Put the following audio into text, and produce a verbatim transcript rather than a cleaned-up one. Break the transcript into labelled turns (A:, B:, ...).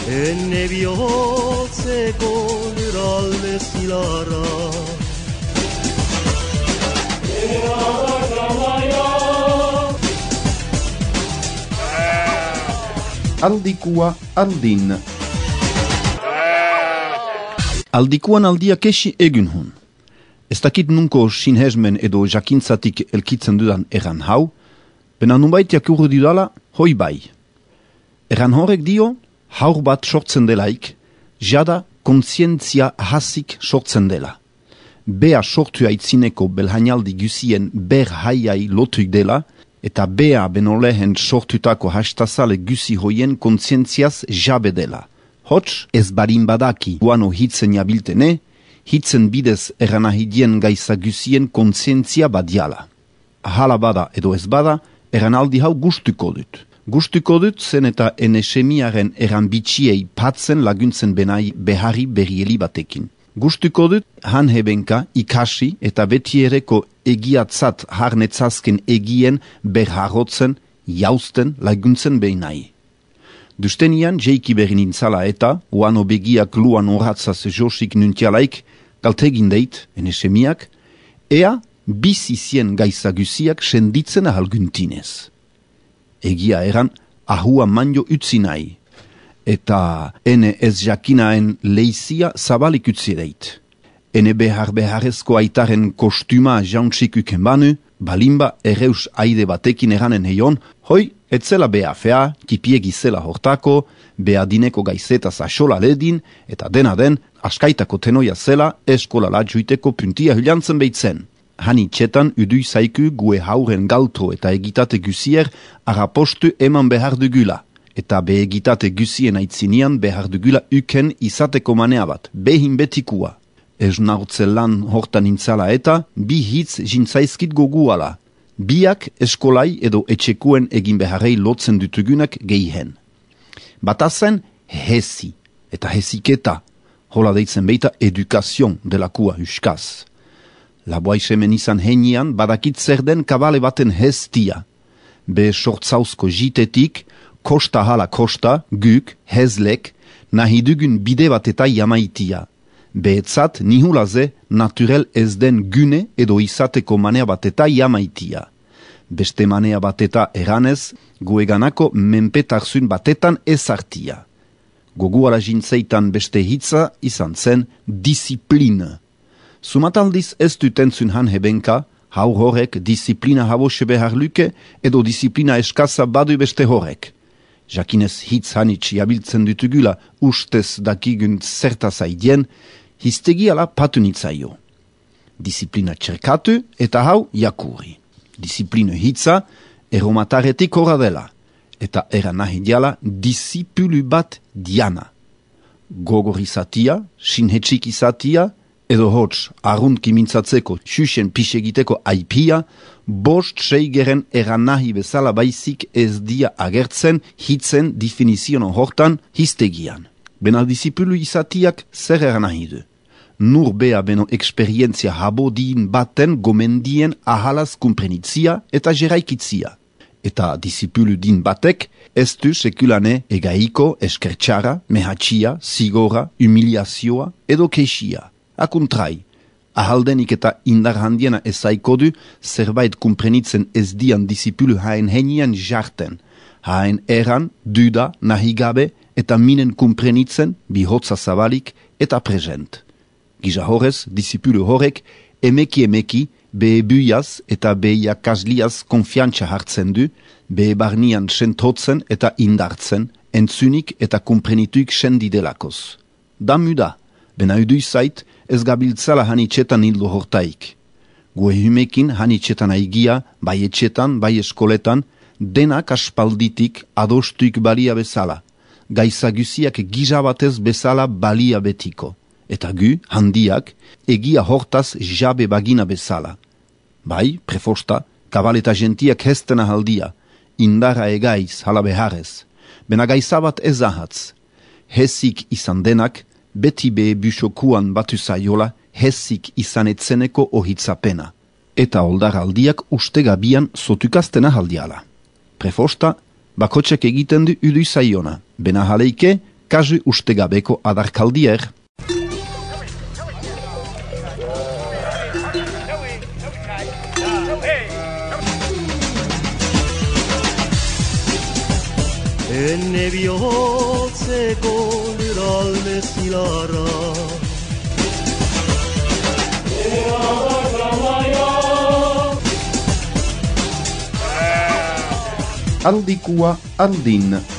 A: Enne bihotzeko lurralde zilarra
B: Aldikua aldin.
C: Aldikuan aldiak esi egun hun. Ez dakit nunko sinhezmen edo jakintzatik elkitzen dudan erran hau, bena nunbaitiak urru dudala, hoi bai. Erran horrek dio, haur bat sortzen delaik, jada kontzientzia hasik sortzen dela. Bea sortu aitzineko belhainaldi gusien ber haiai lotuik dela, eta bea benolehen sortutako hastazale gusi hoien kontzientziaz jabe dela. Hots ez barin badaki guano hitzen jabiltene, hitzen bidez eranahidien gaisa gusien kontzientzia badiala. Hala bada edo ez bada, eranaldi hau gustuko dut. Gustuko dut zen eta enesemiaren eran bitxiei patzen laguntzen benai beharri berrieli batekin. Gustuko dut han hebenka ikasi eta betiereko egiatzat harnetzazken egien berharrotzen, jausten laguntzen behinai. Dustenian jeiki berri nintzala eta, uano begiak luan horatzaz josik nuntialaik, kaltegin deit, enesemiak, ea bizizien gaizagusiak senditzen ahalguntinez. Egia eran, ahua manjo utzi nahi, eta ene ez jakinaen leizia zabalik utzi deit. Ene behar beharrezko aitaren kostuma jauntzik uken banu, balimba erreus aide batekin eranen heion, hoi, etzela bea fea, tipiegi zela hortako, bea dineko gaizetaz asola ledin, eta dena den, askaitako tenoia zela, eskola ladjuiteko puntia hylantzen behitzen. Hani txetan udui zaiku gue hauren galtro eta egitate gusier arapostu eman behar dugula, eta be egitate gusien aitzinian behar dugula uken izateko manea bat, behin betikua. Ez naurtze lan hortan intzala eta, bi hitz jintzaizkit goguala. Biak eskolai edo etxekuen egin beharrei lotzen dutugunak gehihen. Batazen hesi, eta hesiketa, hola deitzen beita edukazion delakua huskaz. Laboaisemen izan henian badakit zer den kabale baten hestia. Be sortzauzko jitetik, kosta hala kosta, guk, hezlek, nahi dugun bide bat eta jamaitia. Behetzat nihulaze naturel ez den gune edo izateko manea bat eta jamaitia. Beste manea bat eta eranez, gueganako menpetarzun batetan ezartia. Goguala jintzeitan beste hitza izan zen disiplina. Sumataldiz ez dutentzun han hebenka, hau horrek disiplina habose behar luke edo disiplina eskaza badu beste horrek. Jakinez hitz hanitz jabiltzen dutugula ustez dakigun zertaz aidien, hiztegiala patu nitzaio. Disiplina txerkatu eta hau jakuri. Disiplina hitza eromataretik horra dela, eta eranahi diala disipulu bat diana. Gogor izatia, sinhetxik izatia, edo hots arruntki mintzatzeko xuxen pixegiteko aipia, bost seigeren eranahi bezala baizik ez dia agertzen hitzen definizionon hortan hiztegian. Bena disipulu izatiak zer eranahi du. Nur bea beno eksperientzia habodin baten gomendien ahalaz kumprenitzia eta jeraikitzia. Eta disipulu din batek ez du sekulane egaiko eskertxara, mehatxia, zigora, humiliazioa edo keixia. Akuntrai, ahaldenik eta indar handiena ezaiko du zerbait kumprenitzen ez dian disipulu haen henian jarten, haen eran, duda, nahigabe eta minen kumprenitzen bihotza zabalik eta present. Giza horrez, disipulu horrek emeki emeki behe buiaz eta behe kasliaz konfiantza hartzen du, behe barnian sentotzen eta indartzen, entzunik eta kumprenituik sendidelakoz. Da muda, bena udu zait, ez gabiltzala hanitxetan hildo hortaik. Gue humekin hanitxetan aigia, bai etxetan, bai eskoletan, denak aspalditik adostuik balia bezala. Gaizagusiak gizabatez bezala balia betiko. Eta gu, handiak, egia hortaz jabe bagina bezala. Bai, prefosta, kabal eta gentiak hestena haldia, indara egaiz hala beharrez. Bena gaizabat ez ahatz. Hesik izan denak, beti behe busokuan batu zaiola, hesik izan etzeneko ohitzapena. eta oldaraldiak ustegabian zotukaztena haldiala. Prefosta, bakotxek egiten du udu zaiona, bena jaleike, kazu ustegabeko adarkaldier.
A: Enne bihotzeko luralde zilarra.
B: Handikua handin.